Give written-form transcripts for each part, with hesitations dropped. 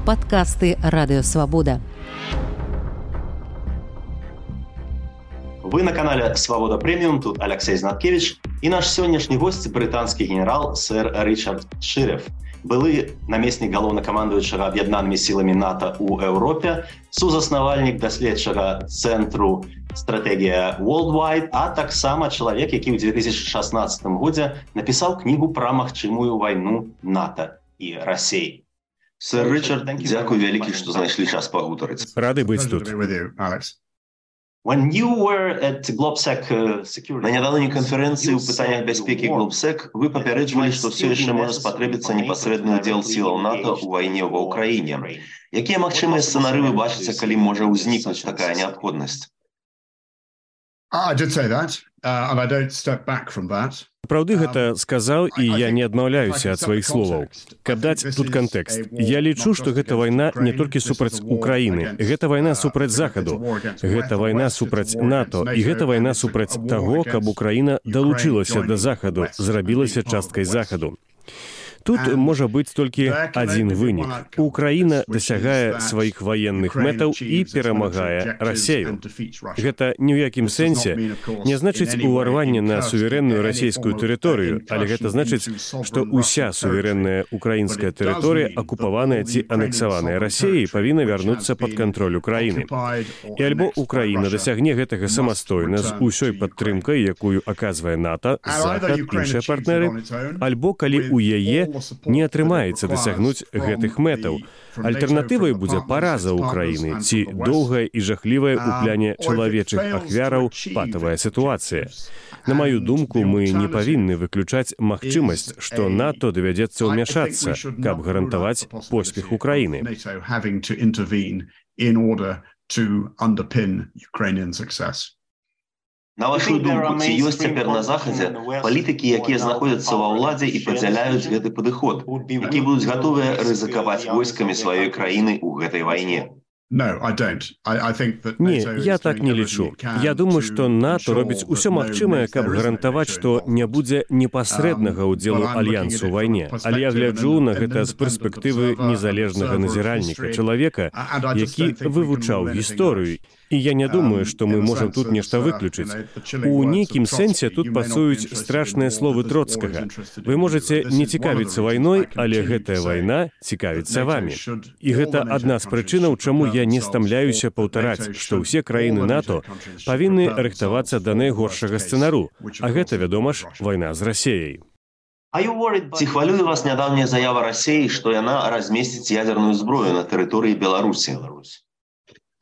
Падкасты Радыёвабода. Вы на канале «Свобода Премиум», тут Алексей Знаткевич. И наш сегодняшний гость – британский генерал сэр Ричард Ширеф. Былы намеснік галоўнакамандуючага аб'яднанымі сіламі НАТО ў Еўропе, сузаснавальнік даследчага цэнтру «Стратегія Worldwide», а таксама чалавек, які ў 2016 годзе напісаў кнігу пра магчымую вайну НАТО і Расіі. Сэр Ричард, дзякуй вялікі, што знайшлі час пагутарыць. Рады быць тут. When you were at GlobSec Security... На нядаўняй канферэнцыі ў пытаннях бяспекі GlobSec вы папярэджвалі, што ўсё яшчэ можа спатрэбіцца непасрэдны ўдзел сілаў НАТО ў вайне ва Ўкраіне. Якія магчымыя сцэнары вы бачыце, калі можа ўзнікнуць такая неабходнасць? I did say that, and I don't step back from that. Праўды гэта сказаў, і я не адмаўляюся ад сваіх словаў. Каб даць тут кантэкст, я лічу, што гэта вайна не толькі супраць Украіны, гэта вайна супраць Захаду, гэта вайна супраць НАТО, і гэта вайна супраць таго, каб Украіна далучылася да Захаду, зрабілася часткай Захаду. Тут можа быць толькі адзін вынік. Украіна дасягае сваіх ваенных мэтаў і перамагае Расею. Гэта ні ў якім сэнсе не значыць уварванне на суверэнную расійскую тэрыторыю, але гэта значыць, што ўся суверэнная украінская тэрыторыя, акупаваная ці анексаваная Расіяй, павінна вярнуцца пад кантроль Украіны. І альбо Украіна дасягне гэтага самастойна з усёй падтрымкай, якую аказвае НАТО, Захад, іншыя партнеры, альбо калі ў яе не атрымаецца дасягнуць гэтых мэтаў. Альтэрнатывай будзе параза Украіны ці доўгая і жахлівая ў пляне чалавечых ахвяраў патавая сітуацыя. На маю думку, мы не павінны выключаць магчымасць, што НАТО давядзецца ўмяшацца, каб гарантаваць поспех Украіны. На вашу думку, ці ёсць цяпер на Захадзе палітыкі, якія знаходзяцца ва ўладзе і падзяляюць гэты падыход, якія будуць гатовыя рызыкаваць войскамі сваёй краіны ў гэтай вайне? Не, я так не лічу. Я думаю, што НАТО робіць усё магчымае, каб гарантаваць, што не будзе непасрэднага ўдзелу альянсу ў вайне. Але я гляджу на гэта з перспектывы незалежнага назіральніка, чалавека, які вывучаў гісторыю. І я не думаю, што мы можам тут нешта выключыць. У нейкім сэнсе тут пасуюць страшныя словы Троцкага. Вы можаце не цікавіцца вайной, але гэтая вайна цікавіцца вамі. І гэта адна з прычынаў, чаму я не стамляюся паўтараць, што ўсе краіны НАТО павінны рыхтавацца да найгоршага сцэнару. А гэта, вядома ж, вайна з Расіяй. Ці хвалюе вас нядаўняя заява Расіі, што яна размесціць ядерную зброю на тэрыторыі Беларусі?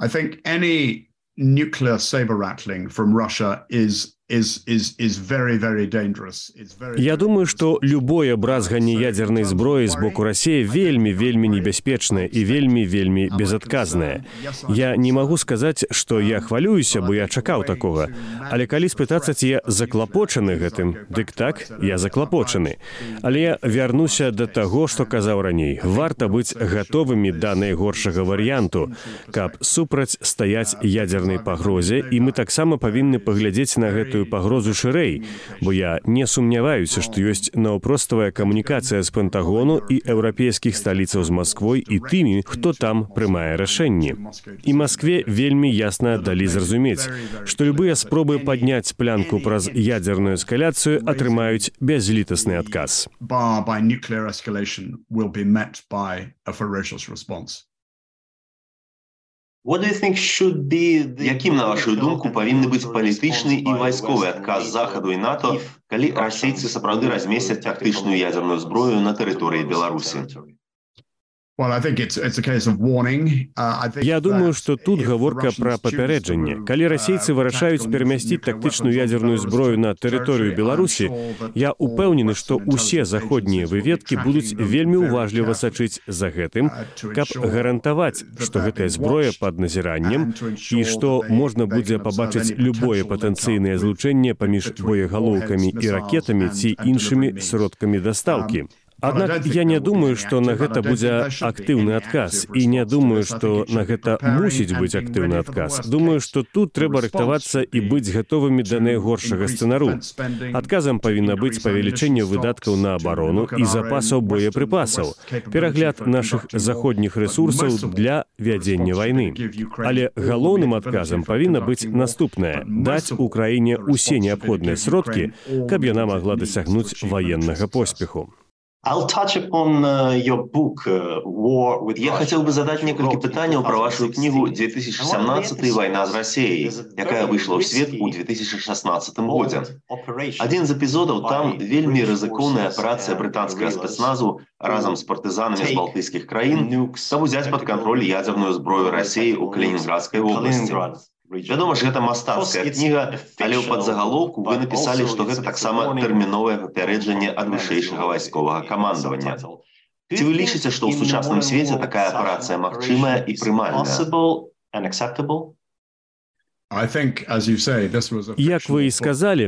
I think any nuclear saber rattling from Russia is very, very dangerous. Я думаю, што любое бразганне ядзернай зброі з боку Расіі вельмі небяспечнае і вельмі безадказнае. Я не магу сказаць, што я хвалююся, бо я чакаў такога. Але калі спытацца, ці я заклапочаны гэтым, дык так, я заклапочаны. Але я вярнуся да таго, што казаў раней. Варта быць гатовымі да найгоршага варыянту, каб супраць стаяць ядзернай пагрозе, і мы таксама павінны паглядзець на гэтую пагрозу шырэй, бо я не сумняваюся, што ёсць наўпроставая камунікацыя з Пентагону і еўрапейскіх сталіцаў з Масквой і тымі, хто там прымае рашэнні. І Маскве вельмі ясна далі зразумець, што любыя спробы падняць планку праз ядзерную эскаляцыю атрымаюць бязлітасны адказ. Якім, на вашу думку, павінны быць палітычны і вайсковы адказ Захаду і НАТО, калі расейцы сапраўды размесцяць тактычную ядзерную зброю на тэрыторыі Беларусі? Я думаю, што тут гаворка пра папярэджанне. Калі расейцы вырашаюць перамясціць тактычную ядзерную зброю на тэрыторыю Беларусі, я упэўнены, што ўсе заходнія выведкі будуць вельмі уважліва сачыць за гэтым, каб гарантаваць, што гэтая зброя пад назіраннем і што можна будзе пабачыць любое патэнцыйнае злучэнне паміж боегалоўкамі і ракетамі ці іншымі сродкамі дастаўкі. Аднак я не думаю, што на гэта будзе актыўны адказ, і не думаю, што на гэта мусіць быць актыўны адказ. Думаю, што тут трэба рыхтавацца і быць гатовымі да найгоршага сцэнару. Адказам павінна быць павелічэнне выдаткаў на абарону і запасаў боепрыпасаў, перагляд нашых заходніх рэсурсаў для вядзення вайны. Але галоўным адказам павінна быць наступнае: даць Украіне ўсе неабходныя сродкі, каб яна магла дасягнуць ваеннага поспеху. Я хотел бы задать несколько пытаний про вашу книгу «2017. Война с Россией», якая вышла в свет у 2016 году. Один из эпизодов там вельми ризикованная операция британского спецназу разом с партизанами с балтийских краин, чтобы взять под контроль ядерную зброю России у Калининградской области. Вядома ж, гэта мастацкая кніга, але ў падзагалоўку вы напісалі, што гэта таксама тэрміновае папярэджанне ад вышэйшага вайсковага камандавання. Ці вы лічыце, што ў сучасным свеце такая аперацыя магчымая і прымальная? Як вы і сказалі,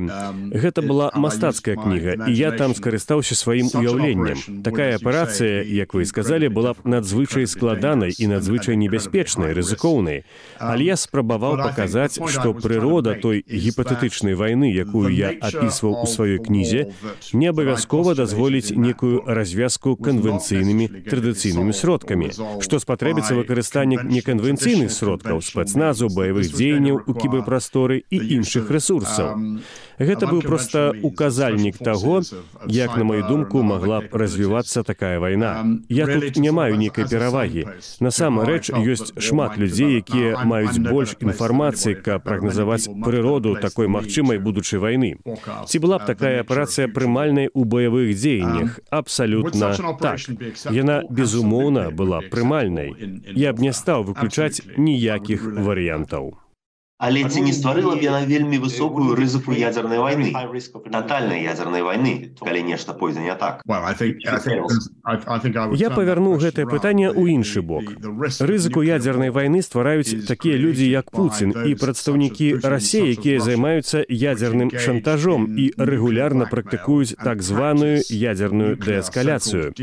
гэта была мастацкая кніга, і я там скарыстаўся сваім уяўленнем. Такая аперацыя, як вы і сказалі, была б надзвычай складанай і надзвычай небяспечнай, рызыкоўнай. Але я спрабаваў паказаць, што прырода той гіпатэтычнай вайны, якую я апісваў у сваёй кнізе, не абавязкова дазволіць некую развязку канвенцыйнымі традыцыйнымі сродкамі, што спатрэбіцца выкарыстанне неканвенцыйных сродкаў, спецназу, баявых дзеянняў у кіберпрасторы і іншых рэсурсаў. Гэта быў проста указальнік таго, як, на маю думку, магла б развівацца такая вайна. Я тут не маю нейкай перавагі. Насамрэч, ёсць шмат людзей, якія маюць больш інфармацыі, каб прагназаваць прыроду такой магчымай будучай вайны. Ці была б такая аперацыя прымальнай у баявых дзеяннях? Абсалютна так. Яна, безумоўна, была прымальнай. Я б не стаў выключаць ніякіх варыянтаў. Але ці не стварыла б яна вельмі высокую рызыку ядзернай вайны, татальнай ядзернай вайны, калі нешта пойдзе не так? Я павярну гэтае пытанне ў іншы бок. Рызыку ядзернай вайны ствараюць такія людзі, як Пуцін і прадстаўнікі Расіі, якія займаюцца ядзерным шантажом і рэгулярна практыкуюць так званую ядзерную дээскаляцыю.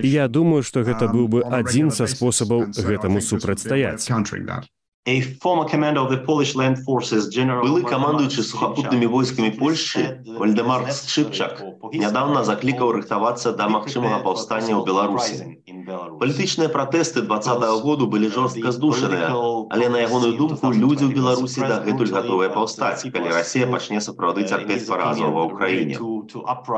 І я думаю, што гэта быў бы адзін са спосабаў гэтаму супрацьстаяць. Былы камандуючы сухапутнымі войскамі Польшчы Вальдэмар Шчыпчак нядаўна заклікаў рыхтавацца да магчымага паўстання ў Беларусі. Палітычныя пратэсты 2020 году былі жорстка здушаныя, але на ягоную думку людзі ў Беларусі дагэтуль гатовыя паўстаць, калі Расія пачне сапраўды цярпець паразу ва ўкраіне.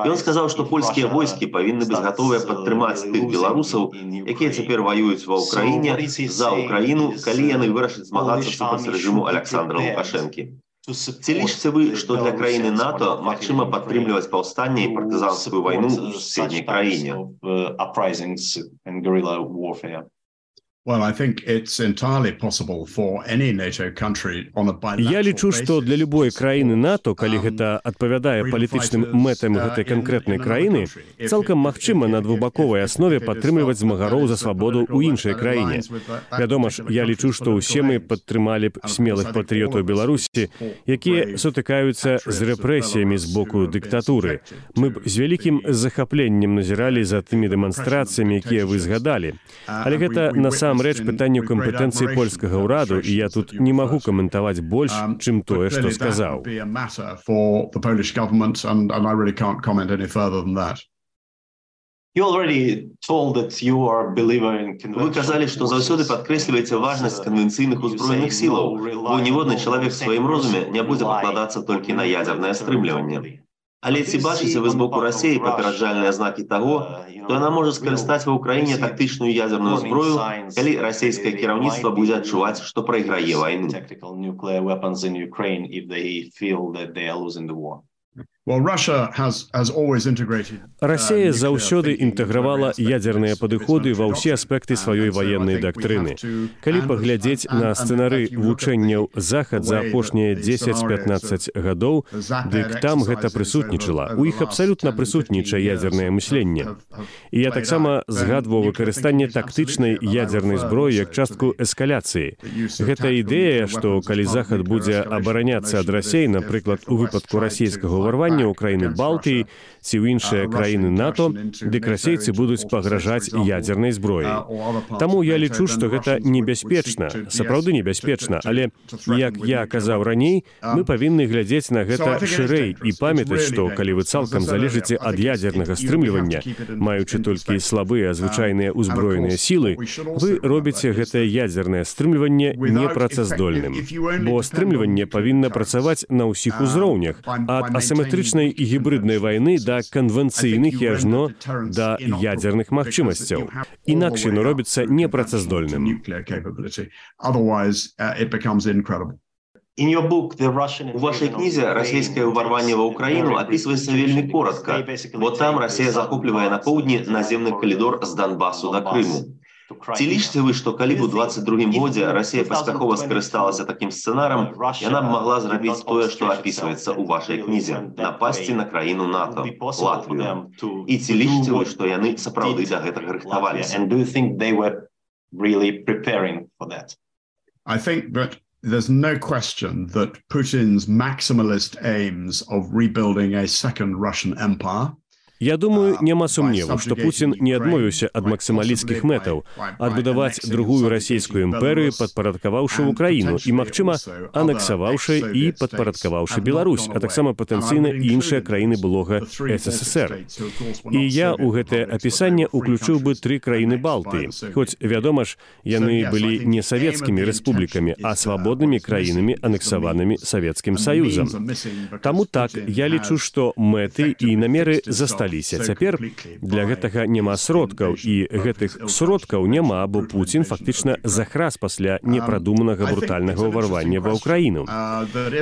Ён сказаў, што польскія войскі павінны быць гатовыя падтрымаць тых беларусаў, якія цяпер ваююць ва ўкраіне за ўкраіну, калі яны вырашаць змагацца супраць рэжыму Александра Лукашэнкі. Ці лічыце вы, што для краіны НАТО магчыма падтрымліваць паўстанне і партызанскую вайну ў суседняй краіне? Я лічу, што для любой краіны НАТО, калі гэта адпавядае палітычным мэтам гэтай канкрэтнай краіны, цалкам магчыма на двухбаковай аснове падтрымліваць змагароў за свабоду ў іншай краіне. Вядома ж, я лічу, што ўсе мы падтрымалі б смелых патрыётаў Беларусі, якія сутыкаюцца з рэпрэсіямі з боку дыктатуры. Мы б з вялікім захапленнем назіралі за тымі дэманстрацыямі, якія вы згадалі. Але гэта насамрэч пытанне кампетэнцыі польскага ўраду, і я тут не магу каментаваць больш, чым тое, што сказаў. Вы казалі, што заўсёды падкрэсліваеце важнасць канвенцыйных узброеных сілаў, бо ніводны чалавек у сваім розуме не будзе пакладацца толькі на ядзернае стрымліванне. Але ці бачыце вы з боку Расіі папераджальныя знакі таго, што яна можа скарыстаць ва ўкраіне тактычную ядзерную зброю, калі расійскае кіраўніцтва будзе адчуваць, што прайграе вайну? Расія заўсёды інтэгравала ядзерныя падыходы ва ўсе аспекты сваёй ваеннай дактрыны. Калі паглядзець на сцэнары вучэнняў Захад за апошнія 10-15 гадоў, дык там гэта прысутнічала. У іх абсалютна прысутнічае ядзернае мысленне. І я таксама згадваў выкарыстанне тактычнай ядзернай зброі як частку эскаляцыі. Гэта ідэя, што калі Захад будзе абараняцца ад Расіі, напрыклад, у выпадку расійскага ўварвання, ўвяртання ў краіны Балтыі ці ў іншыя краіны НАТО, дык расейцы будуць пагражаць ядзернай зброяй. Таму я лічу, што гэта небяспечна, сапраўды небяспечна, але, як я казаў раней, мы павінны глядзець на гэта шырэй і памятаць, што калі вы цалкам залежыце ад ядзернага стрымлівання, маючы толькі слабыя звычайныя ўзброеныя сілы, вы робіце гэтае ядзернае стрымліванне непрацаздольным. Бо стрымліванне павінна працаваць на ўсіх узроўнях, ад асіметрычнай і гібриднай вайны да канвенцыйных і ажно да ядзерных магчымасцяў. Інакш яно робіцца непрацаздольным. У вашей книзе «Российское ўварванне ва Украину» описывается вельмі коротко. Вот там Россия захоплівае на поўдні наземны калідор з Донбассу до Крыму. Ці лічыце вы, што калі б у 22-м годзе Россия паспяхова скарысталася такім сцэнарам, яна б магла зрабіць тое, што опісваецца ў вашай кнізе, напасці на краіну НАТО, Латвію. І ці лічыце вы, што яны сапраўды да гэтага рыхтаваліся? I think that there's no question that Putin's maximalist aims of rebuilding a second Russian empire. Я думаю, няма сумневу, што Пуцін не адмовіўся ад максімалісцкіх мэтаў адбудаваць другую расійскую імперыю, падпарадкаваўшы Украіну і, магчыма, анексаваўшы і падпарадкаваўшы Беларусь, а таксама патэнцыйна іншыя краіны былога СССР. І я ў гэтае апісанне ўключыў бы 3 краіны Балтыі, хоць, вядома ж, яны былі не савецкімі рэспублікамі, а свабоднымі краінамі, анексаванымі Савецкім Саюзам. Таму так, я лічу, што мэты і намеры засталіся. Цяпер для гэтага няма сродкаў, і гэтых сродкаў няма, бо Пуцін фактычна захрас пасля непрадуманага брутальнага ўварвання ва Ўкраіну.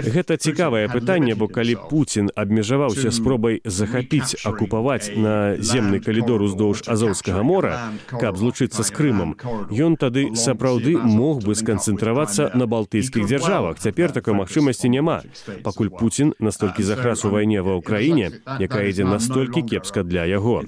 Гэта цікавае пытанне, бо калі Пуцін абмежаваўся спробай захапіць, акупаваць наземны калідор уздоўж Азоўскага мора, каб злучыцца з Крымам, ён тады сапраўды мог бы сканцэнтравацца на балтыйскіх дзяржавах. Цяпер такой магчымасці няма, пакуль Пуцін настолькі захрас у вайне ва Ўкраіне, якая ідзе настолькі кепска для яго.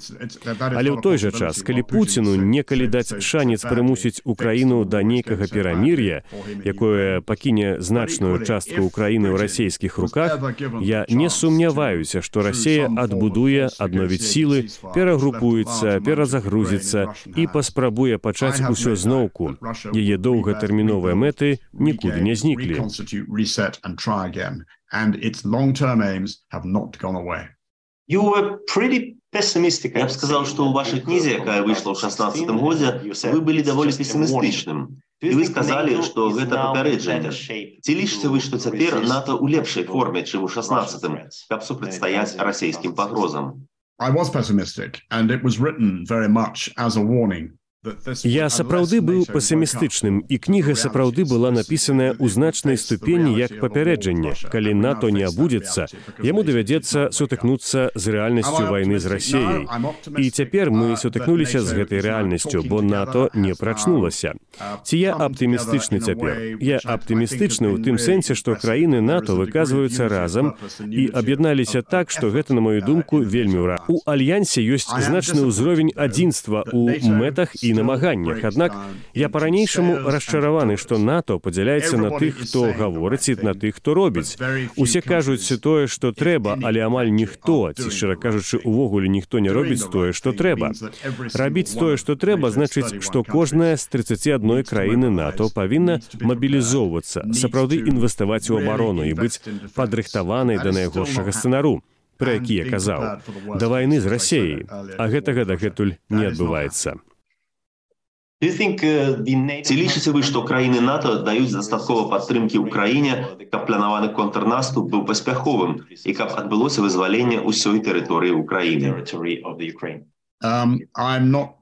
Але ў той жа час, калі Пуціну некалі даць шанец прымусіць Украіну да нейкага перамір'я, якое пакіне значную частку Украіны ў расійскіх руках, я не сумняваюся, што Расія адбудуе, адновіць сілы, перагрупуецца, перазагрузіцца і паспрабуе пачаць усё зноўку. Яе доўгатэрміновыя мэты нікуды не зніклі. Я б сказал, что у вашей книзе, якая вышла ў 16-м годзе, вы былі даволі песімістычным. І вы сказали, што гэта папярэджанне. Ці лічыце вы, што цяпер НАТО ў лепшай форме, чым у 16-м, каб супрацьстаяць расійскім пагрозам? I was pessimistic, and it was written very much as a warning. Я сапраўды быў песімістычным, і кніга сапраўды была напісаная ў значнай ступені як папярэджанне. Калі НАТО не абудзіцца, яму давядзецца сутыкнуцца з рэальнасцю вайны з Расіяй. І цяпер мы сутыкнуліся з гэтай рэальнасцю, бо НАТО не прачнулася. Ці я аптымістычны цяпер? Я аптымістычны ў тым сэнсе, што краіны НАТО выказваюцца разам і аб'ядналіся так, што гэта, на мою думку, вельмі ўра. У альянсе ёсць значны ўзровень адзінства ў мэтах і намаганнях. Аднак я па-ранейшаму расчараваны, што НАТО падзяляецца на тых, хто гаворыць, і на тых, хто робіць. Усе кажуць тое, што трэба, але амаль ніхто, ці, шчыра кажучы, увогуле ніхто не робіць тое, што трэба. Рабіць тое, што трэба, значыць, што кожная з 31 краіны НАТО павінна мабілізоўвацца, сапраўды інвеставаць у абарону і быць падрыхтаванай да найгоршага сцэнару, пра які я казаў, да вайны з Расіяй, а гэтага дагэтуль не адбываецца. Ці лічыце вы, што краіны НАТО даюць дастаткова падтрымкі ўкраіне, каб планаваны контрнаступ быў паспяховым і каб адбылося вызваленне ўсёй тэрыторыі ўкраіны? I'm not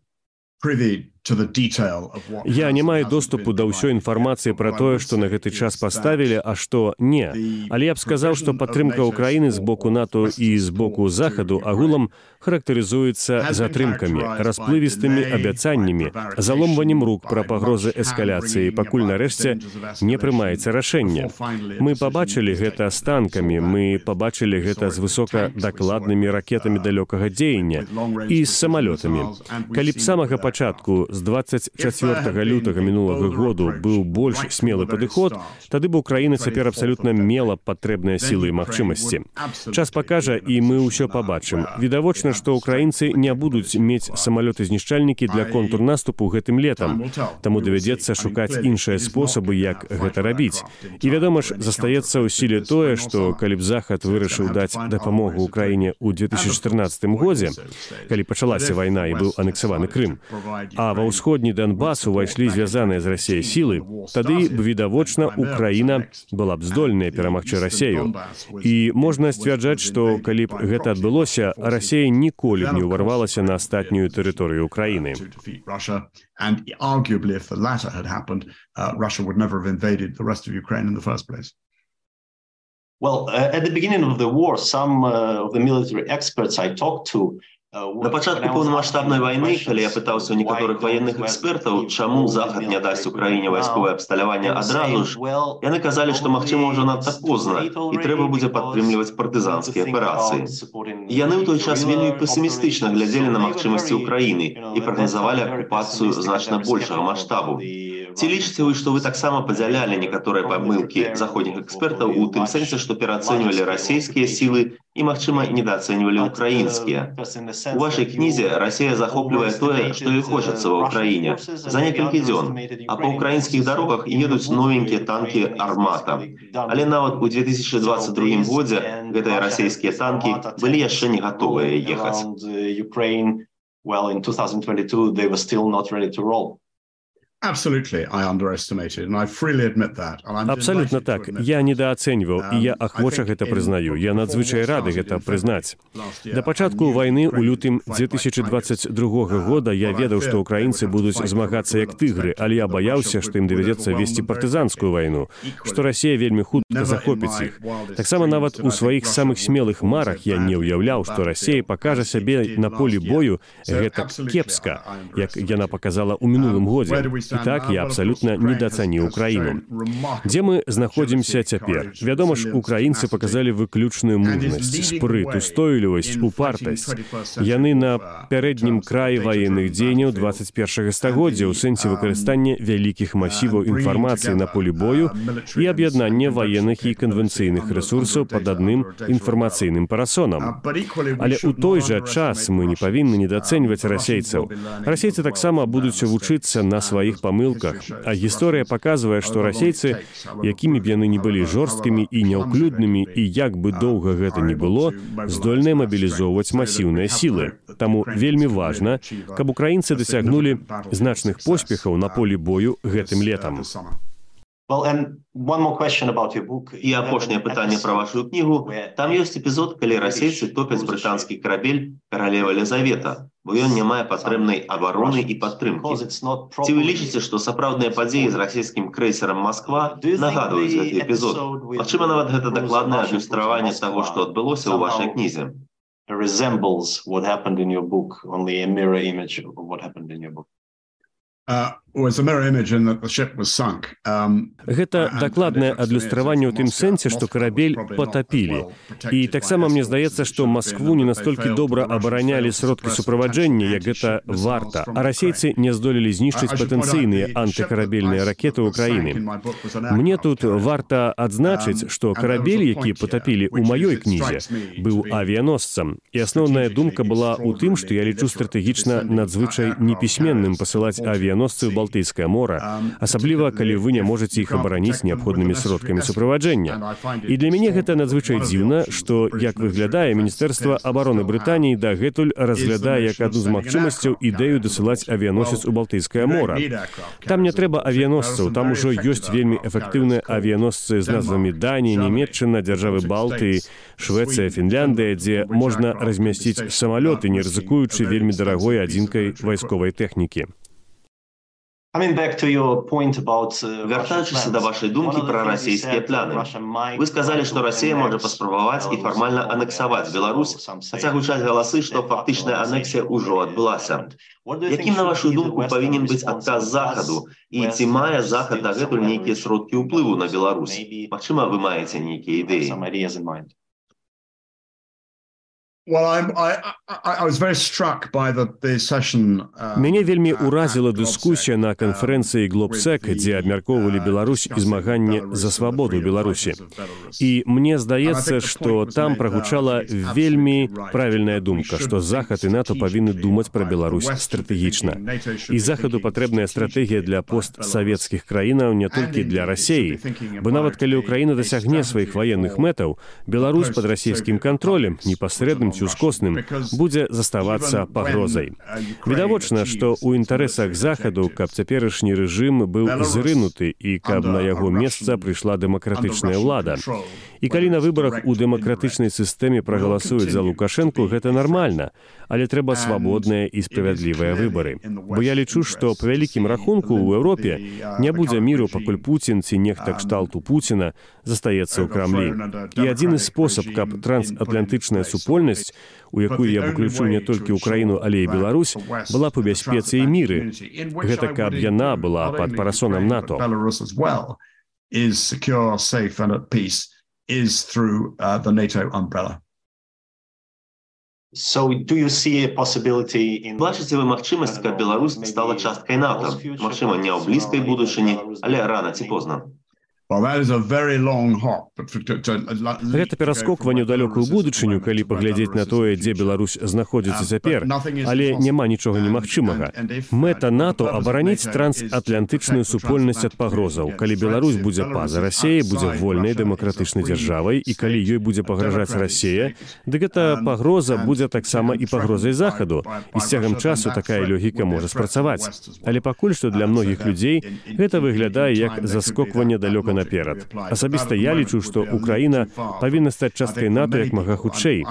privy to the detail of what... Я не маю доступу да ўсёй інфармацыі пра тое, што на гэты час паставілі, а што не. Але я б сказаў, што падтрымка ўкраіны з боку НАТО і з боку Захаду агулам характарызуецца затрымкамі, расплывістымі абяцаннямі, заломваннем рук пра пагрозы эскаляцыі, пакуль нарэшце не прымаецца рашэнне. Мы пабачылі гэта з танкамі, мы пабачылі гэта з высокадакладнымі ракетамі далёкага дзеяння і з самалётамі. Калі б з самага пачатку з 24 лютага мінулага году быў больш смелы падыход, тады бы Украіна цяпер абсалютна мела патрэбныя сілы і магчымасці. Час пакажа, і мы ўсё пабачым. Відавочна, што украінцы не будуць мець самалёты-знішчальнікі для контрнаступу гэтым летам, таму давядзецца шукаць іншыя спосабы, як гэта рабіць. І, вядома ж, застаецца ў сіле тое, што калі б Захад вырашыў даць дапамогу Украіне ў 2014 годзе, калі пачалася вайна і быў анексаваны Крым, а ва ўсходні Донбас увайшлі звязаныя з Расіяй сілы, тады б, відавочна, Украіна была б здольная перамагчы Расею. І можна сцвярджаць, што калі б гэта адбылося, Расія ніколі б не ўварвалася на астатнюю тэрыторыю Украіны. And arguably, if the latter had happened, Russia would never have invaded the rest of Ukraine in the first place. Well, at the beginning of the war, some of the military experts I talked to На пачатку поўнамаштабнай вайны, калі я пытаўся ў некаторых ваенных экспертаў, чаму Захад не дасць Украіне вайсковае абсталяванне адразу ж, яны казалі, што магчыма ўжо надта позна і трэба будзе падтрымліваць партызанскія аперацыі. Яны ў той час вельмі песімістычна глядзелі на магчымасці Украіны і прагназавалі акупацыю значна большага маштабу. Ці лічыце вы, што вы таксама падзялялі некаторыя памылкі заходніх экспертаў у тым сэнсе, што пераацэньвалі расійскія сілы і, магчыма, недаацэньвалі украінскія? У вашай кнізе Расія захоплівае тое, што ёй хочацца ва Ўкраіне за некалькі дзён, а па ўкраінскіх дарогах едуць новенькія танкі «Армата». Але нават у 2022 годзе гэтыя расійскія танкі былі яшчэ не гатовыя ехаць. Well, in 2022 they were still not ready to roll. Absolutely, I underestimated, and I freely admit that. Абсалютна так. Я недаацэньваў, і я ахвоча гэта прызнаю. Я надзвычай рады гэта прызнаць. Да пачатку вайны ў лютым 2022 года я ведаў, што украінцы будуць змагацца як тыгры, але я баяўся, што ім давядзецца весці партызанскую вайну, што Расія вельмі хутка захопіць іх. Таксама нават у сваіх самых смелых марах я не ўяўляў, што Расія пакажа сябе на полі бою гэтак кепска, як яна паказала ў мінулым годзе. І так я абсалютна недацаніў Украіну. Дзе мы знаходзімся цяпер? Вядома ж, украінцы паказалі выключную мужнасць, спрыт, устойлівасць, упартасць. Яны на пярэднім краі ваенных дзеянняў 21 стагоддзя ў сэнсе выкарыстання вялікіх масіваў інфармацыі на полі бою і аб'яднання ваенных і канвенцыйных рэсурсаў пад адным інфармацыйным парасонам. Але ў той жа час мы не павінны недацэньваць расейцаў. Расейцы таксама будуць вучыцца на сваіх памылках, а гісторыя паказвае, што расейцы, якімі б яны не былі жорсткімі і няўклюднымі, і як бы доўга гэта не было, здольныя мабілізоўваць масіўныя сілы. Таму вельмі важна, каб украінцы дасягнулі значных поспехаў на полі бою гэтым летам. І апошняе пытанне пра вашу кнігу. Там ёсць эпізод, калі расейцы топяць брытанскі карабель «Каралева Елізавета», бо ён не мае патрэбнай абароны і падтрымкі. Ці вы лічыце, што сапраўдныя падзеі з расійскім крэйсерам «Москва» нагадваюць гэты эпізод? Магчыма, нават гэта дакладнае адлюстраванне таго, што адбылося ў вашай кнізе. Гэта дакладнае адлюстраванне ў тым сэнсе, што карабель патапілі. І таксама мне здаецца, што Маскву не настолькі добра абаранялі сродкі суправаджэння, як гэта варта, а расейцы не здолелі знішчыць патэнцыйныя антыкарабельныя ракеты ўкраіны. Мне тут варта адзначыць, што карабель, які патапілі ў маёй кнізе, быў авіяносцам. І асноўная думка была ў тым, што я лічу стратэгічна надзвычай непісьменным пасылаць авіяносцы ў Балтыйскае мора, асабліва, калі вы не можаце іх абараніць неабходнымі сродкамі суправаджэння. І для мяне гэта надзвычай дзіўна, што, як выглядае, Міністэрства абароны Брытаніі дагэтуль разглядае як адну з магчымасцяў ідэю дасылаць авіяносец у Балтыйскае мора. Там не трэба авіяносцаў, там ужо ёсць вельмі эфектыўныя авіяносцы з назвамі Данія, Нямецчына, дзяржавы Балтыі, Швецыя, Фінляндыя, дзе можна размясціць самалёты, не рызыкуючы вельмі дарагой адзінкай вайсковай тэхнікі. Вяртаючыся да вашай думкі пра расійскія пляны. Вы сказалі, што Расія можа паспрабаваць і фармальна анексаваць Беларусь, хаця гучаць галасы, што фактычная анексія ўжо адбылася. Якім, на вашу думку, павінен быць адказ Захаду? І ці мае Захад дагэтуль нейкія сродкі ўплыву на Беларусь? Магчыма, вы маеце нейкія ідэі? Мяне вельмі ўразіла дыскусія на канферэнцыі Глобсек, дзе абмяркоўвалі Беларусь і змаганне за свабоду Беларусі. І мне здаецца, што там прагучала вельмі правільная думка, што Захад і НАТО павінны думаць пра Беларусь стратэгічна. І Захаду патрэбная стратэгія для постсавецкіх краінаў не толькі для Расіі, бо нават калі Украіна дасягне сваіх ваенных мэтаў, Беларусь пад расійскім кантролем, непасрэдным ці ускосным, будзе заставацца пагрозай. Відавочна, што ў інтарэсах Захаду, каб цяперашні рэжым быў зрынуты і каб на яго месца прыйшла дэмакратычная ўлада. І калі на выбарах у дэмакратычнай сістэме прагаласуюць за Лукашэнку, гэта нармальна, але трэба свабодныя і справядлівыя выбары. Бо я лічу, што па вялікім рахунку ў Еўропе не будзе міру, пакуль Пуцін ці нехта кшталту Пуціна застаецца ў Крамлі. І адзіны спосаб, каб трансатлантычная супольнасць, у якую я выключу не толькі Украіну, але і Беларусь, была б у бяспецы і міры. Гэта каб яна была пад парасонам НАТО. Is through the NATO umbrella. So do you see a possibility in... Бачыце вы магчымасць, каб Беларусь стала часткай НАТО? Магчыма, не ў блізкай будучыні, але рана ці позна. Гэта пераскокванне ў далёкую будучыню, калі паглядзець на тое, дзе Беларусь знаходзіцца цяпер, але няма нічога немагчымага. Мэта НАТО абараніць трансатлантычную супольнасць ад пагрозаў. Калі Беларусь будзе па-за Расіяй, будзе вольнай дэмакратычнай дзяржавай, і калі ёй будзе пагражаць Расія, дык гэта пагроза будзе таксама і пагрозай Захаду, і з цягам часу такая логіка можа спрацаваць. Але пакуль што для многіх людзей гэта выглядае як заскокванне далёка наперад. Асабіста я лічу, што Украіна павінна стаць часткай НАТО як мага хутчэй.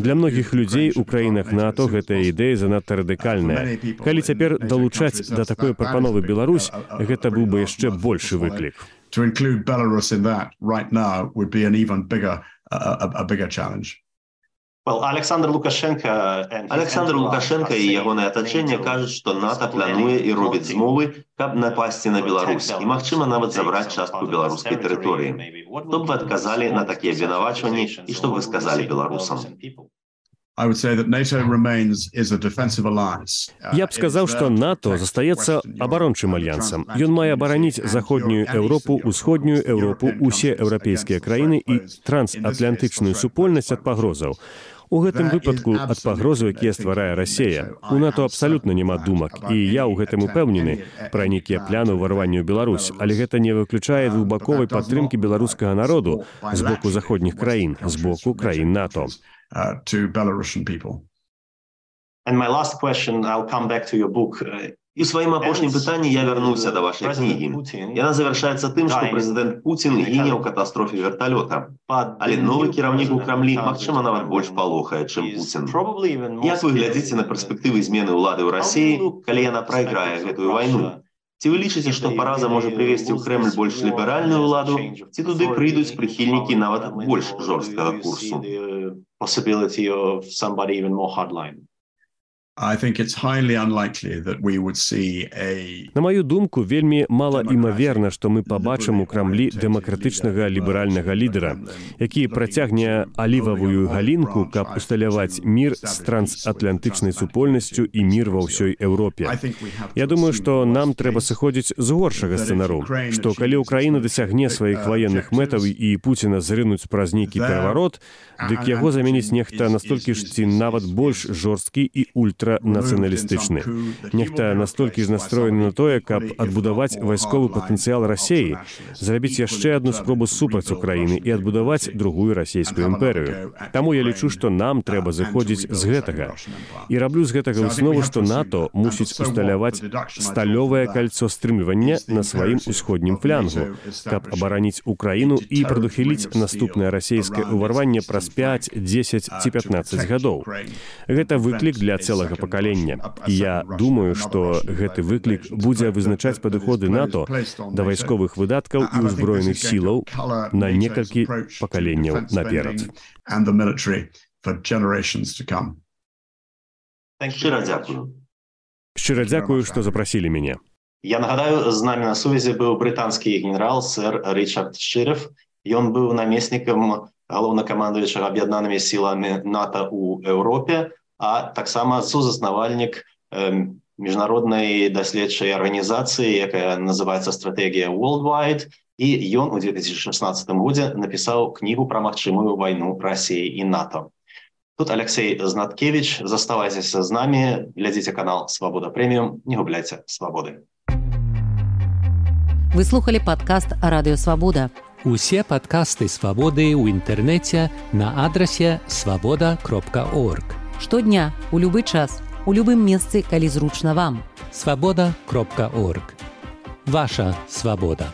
Для многіх людзей у краінах НАТО гэтая ідэя занадта радыкальная. Калі цяпер далучаць да такой прапановы Беларусь, гэта быў бы яшчэ большы выклік. To include Belarus in that right now would be an even bigger challenge. Well, Александр Лукашенко і ягонае атачэнне кажуць, што НАТО плануе і робіць змовы, каб напасці на Беларусь і, магчыма, нават забраць частку беларускай тэрыторыі. Што б вы адказалі на такія абвінавачванні і што б вы сказалі беларусам? Я б сказаў, што НАТО застаецца абарончым альянсам. Ён мае абараніць заходнюю Еўропу, усходнюю Еўропу, усе еўрапейскія краіны і трансатлантычную супольнасць ад пагрозаў. У гэтым выпадку ад пагрозаў, якія стварае Расія. У НАТО абсалютна няма думак, і я ў гэтым упэўнены пра нейкія пляны ўварвання ў Беларусь, але гэта не выключае двухбаковай падтрымкі беларускага народу з боку заходніх краін, з боку краін НАТО. To Belarusian people. And my last question, I'll come back to your book. І ў сваім апошнім пытанні я вярнуўся да вашай кнігі. Яна завяршаецца тым, што прэзідэнт Пуцін гіне ў катастрофе верталёта. Але новы кіраўнік у Крамлі, магчыма, нават больш палохае, чым Пуцін. Як вы глядзіце на перспектывы змены ўлады ў Расіі, калі яна прайграе гэтую вайну? Ці вы лічыце, што параза можа прывесці ў Крэмль больш ліберальную ўладу, ці туды прыйдуць прыхільнікі нават больш жорсткага курсу? Possibility of somebody even more hardline. I think it's highly unlikely that we would see a... На маю думку, вельмі мала імаверна, што мы пабачым у Крамлі дэмакратычнага ліберальнага лідара, які працягне алівавую галінку, каб усталяваць мір з трансатлантычнай супольнасцю і мір ва ўсёй Еўропе. Я думаю, што нам трэба сыходзіць з горшага сцэнару, што калі Украіна дасягне сваіх ваенных мэтаў і Пуціна зрынуць праз нейкі пераварот, дык яго заменіць нехта настолькі ж ці нават больш жорсткі і ультранацыяналістычны. Нехта настолькі ж настроены на тое, каб адбудаваць вайсковы патэнцыял Расіі, зрабіць яшчэ адну спробу супраць Украіны і адбудаваць другую расійскую імперыю. Таму я лічу, што нам трэба зыходзіць з гэтага. І раблю з гэтага выснову, што НАТО мусіць усталяваць сталёвае кальцо стрымлівання на сваім усходнім флянгу, каб абараніць Украіну і прадухіліць наступнае расійскае ўварванне праз 5, 10 ці 15 гадоў. Гэта выклік для цэлага пакалення. І я думаю, што гэты выклік будзе вызначаць падыходы НАТО да вайсковых выдаткаў і ўзброеных сілаў на некалькі пакаленняў наперад. Шчыра дзякую. Шчыра дзякую, што запрасілі мяне. Я нагадаю, з намі на сувязі быў брытанскі генерал сэр Ричард Шырев. Ён быў намеснікам галоўнакамандуючага аб'яднанымі сіламі НАТО ў Еўропе, а таксама сузаснавальнік міжнароднай даследчай арганізацыі, якая называецца «Стратэгія Worldwide», і ён у 2016 годзе напісаў кнігу пра магчымую вайну Расіі і НАТО. Тут Алексей Знаткевич. Заставайцеся з намі, глядзіце канал «Свабода Прэміум», не губляйце свабоды. Вы слухали падкаст «Радыё Свабода». Усе падкасты «Свабоды» ў інтэрнэце на адрасе свабода.орг. Штодня, у любы час, у любым месцы, калі зручна вам. Свабода.орг. Ваша свабода.